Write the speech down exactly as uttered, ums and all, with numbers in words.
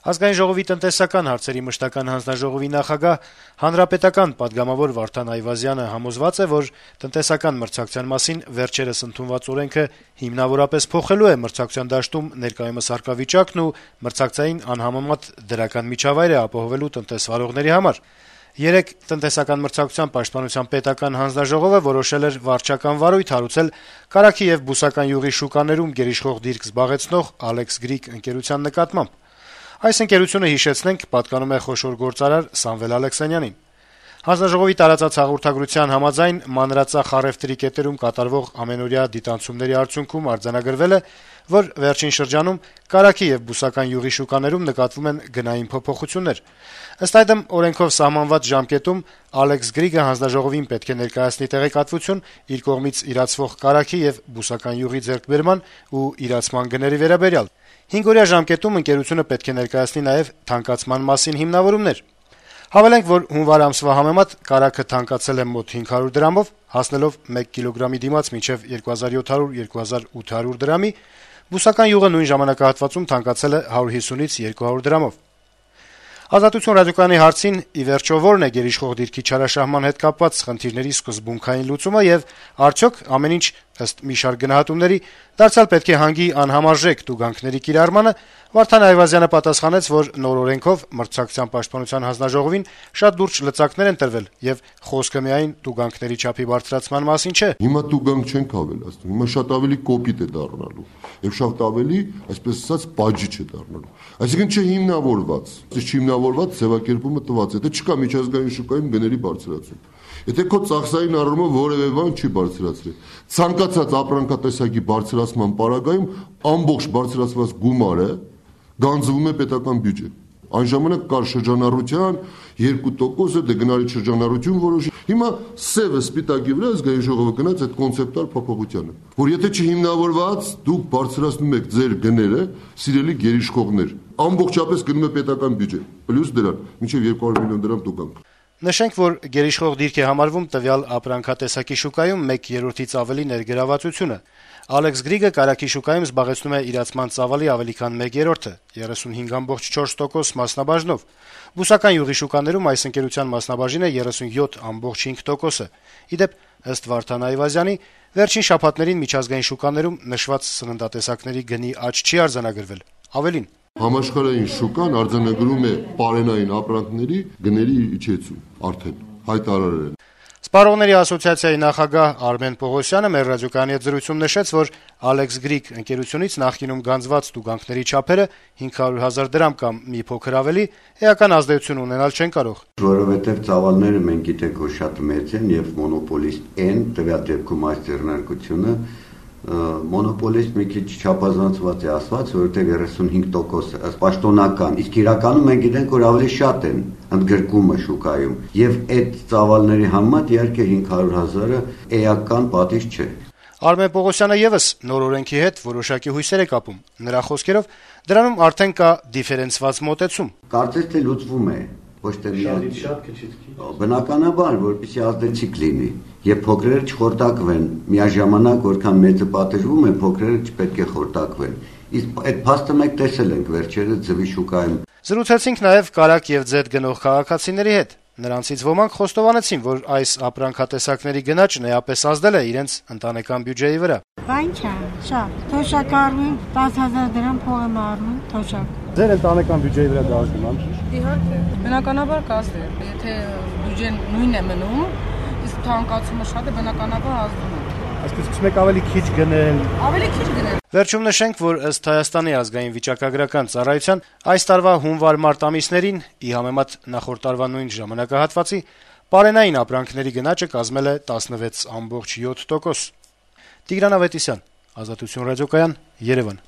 Ազգային ժողովի տնտեսական հարցերի մշտական հանձնաժողովի նախագահ, հանրապետական պատգամավոր Վարդան Այվազյանը համոզված է, որ տնտեսական մրցակցության մասին վերջերս ընդունված օրենքը հիմնավորապես փոխելու է մրցակցության դաշտում ներկայումս առկա վիճակն ու մրցակցային անհամեմատ դրական միջավայր է ապահովելու տնտեսվարողների համար։ Երեկ տնտեսական մրցակցության պաշտպանության պետական հանձնաժողովը որոշել էր վարչական վարույթ հարուցել կարագի եւ բուսական յուղի շուկաներում գերիշխող դիրք զբաղեցնող Alex Greek ընկերության նկատմամբ։ Այս ընկերությունը, հիշեցնենք, պատկանում է խոշոր գործարար Սամվել Ալեքսանյանին։ Հանձնաժողովի տարածած հաղորդագրության համաձայն մանրածախ առևտրի կետերում կատարվող ամենօրյա դիտանցումների արդյունքում արձանագրվել է, որ վերջին շրջանում կարագի եւ բուսական յուղի շուկաներում նկատվում են գնային փոփոխություններ։ Ըստ այդմ, օրենքով սահմանված ժամկետում Alex Greek-ը հանձնաժողովին պետք է ներկայացնի տեղեկատվություն իր կողմից իրացվող կարագի եւ բուսական յուղի ձեռքբերման ու իրացման գների վերաբերյալ։ Հինգօրյա ժամկետում ընկերությունը պետք է ներկայացնի նաեւ թանկացման մասին հիմնավորումներ։ Հավելենք, որ հունվար ամսվա համեմատ կարագը թանկացել է մոտ հինգ հարյուր դրամով, հասնելով մեկ կիլոգրամի դիմաց մինչեւ երկու հազար յոթ հարյուր - երկու հազար ութ հարյուր դրամի, բուսական յուղը նույն ժամանակահատվածում թանկացել է հարյուր հիսունից երկու հարյուր դրամով։ Ազատություն ռադիոկայանի հարցին, ի վերջո, որն է գերիշխող դիրքի չարաշահման հետ կապված խնդիրների սկզբունքային լուծումը եւ արդյոք ամեն ինչ, ըստ մի շարք գնահատումների, դարձյալ պետք է հանգի անհամարժեք տուգանքների կիրառմանը, Վարդան Այվազյանը պատասխանեց, որ նոր օրենքով մրցակցության պաշտպանության հանձնաժողովին շատ լուրջ լծակներ են տրվել եւ խոսքը միայն տուգանքների չափի բարձրացման մասին չէ։ Հիմա տուգանք չենք ավելացնում, հիմա շատ ավելի կոպիտ է դառնալու եւ շատ ավելի, այսպես ասած, բաժի չէ դառնալու։ Այսինքն չէ հիմնավորված, չհիմնավորված ձևակերպումը տված է, դա չկա միջազգային շուկայում գների բարձրացում։ Եթե քո ծախսային առումով որևէ բան չի բարձրացրել, ցանկացած ապրանքատեսակի բարձրացման պարագայում ամբողջ բարձրացված գումարը գանձվում է պետական բյուջե։ Այն ժամանակ կար շրջանառության երկու տոկոսը, դե գնալի շրջանառություն որոշի։ Հիմա սևը սպիտակի վրա ազգային ժողովը գնաց այդ կոնցեպտուալ փոփոխությանը, որ եթե չհիմնավորված դուք բարձրացնում եք ձեր գները, սիրելի գերիշխողներ, ամբողջապես գնում է պետական բյուջե, պլյուս դրան, մինչև երկու հարյուր միլիոն դրամ տուգանք։ Նշենք, որ գերիշխող դիրք է համարվում տվյալ ապրանքատեսակի շուկայում մեկ երրորդից ավելի ներգրավվածությունը։ Alex Greek-ը կարագի շուկայում զբաղեցնում է իրացման ծավալի ավելի քան մեկ երրորդը՝ երեսունհինգ կόμμα չորս տոկոս մասնաբաժնով։ Բուսական յուղի շուկաներում այս ընկերության մասնաբաժինը երեսունյոթ կόμμα հինգ տոկոսը։ Ի դեպ, ըստ Վարդան Այվազյանի, վերջին շաբաթներին միջազգային շուկաներում նշված սննդատեսակների գնի աճ չի արձանագրվել։ Ավելին, համաշխարհային շուկան արձանագրում է պարենային ապրանքների գների իջեցում, արդեն հայտարարել են։ Սպառողների ասոցիացիայի նախագահ Արմեն Պողոսյանը մեր ռադիոկայանի հետ զրույցում նշեց, որ Alex Greek ընկերությունից նախկինում գանձված տուգանքների չափերը հինգ հարյուր հազար դրամ կամ մի փոքր ավելի էական ազդեցություն ունենալ չեն կարող։ Որովհետև ծավալները մենք գիտենք, որ շատ մեծ են եւ մոնոպոլիստ են, տվյալ դեպքում այս ձեռնարկությունը մոնոպոլիստ մի քիչ չափազանցված է ասված, որովհետև երեսունհինգ տոկոս պաշտոնական, իսկ իրականում մենք գիտենք, որ ավելի շատ են ընդգրկումը շուկայում, եւ այդ ծավալների համեմատ իհարկե հինգ հարյուր հազարը էական պատիժ չէ։ Արմեն Պողոսյանը եւս նոր օրենքի հետ որոշակի հույսեր է կապում։ Նրա խոսքերով դրանում արդեն կա դիֆերենցված մոտեցում։ Կարծես թե լուծվում է, ոչ թե միայն բնականաբար, որպեսզի ազդեցիկ լինի, եւ փոքրերը չխորտակվեն, միաժամանակ որքան մեծը պատժվում է, փոքրերը չպետք է խորտակվեն։ Իսկ այդ փաստը մենք տեսել ենք վերջերս ձվի շուկայում։ Զրուցեցինք նաեւ կարագ եւ ձետ գնող քաղաքացիների հետ։ Նրանցից ոմանք խոստովանեցին, որ այս ապրանքատեսակների գնաճն էապես ազդել է իրենց ընտանեկան բյուջեի վրա։ Բան չէ, շատ։ Թոշակ առնում, տասը հազար դրամ փող եմ առնում, թոշակ։ Ձեր ընտանեկան բյուջեի վրա դա ազդում է։ Իհարկե, բնականաբար կազդի, եթե բյուջեն նույնն է մնում, իսկ թանկացումը շատ է, բնականաբար ազդում է։ Այսպես սկսում եք ավելի քիչ գնել։ Ավելի քիչ գնել։ Վերջում նշենք, որ ըստ Հայաստանի ազգային վիճակագրական ծառայության այս տարվա հունվար-մարտ ամիսներին, ի համեմատ նախորդ տարվա նույն ժամանակահատվածի, պարենային ապրանքների գնաճը կազմել է տասնվեց կόμμα յոթ տոկոս։ Տիգրան Ավետիսյան, Ազատություն ռադիոկայան, Երևան։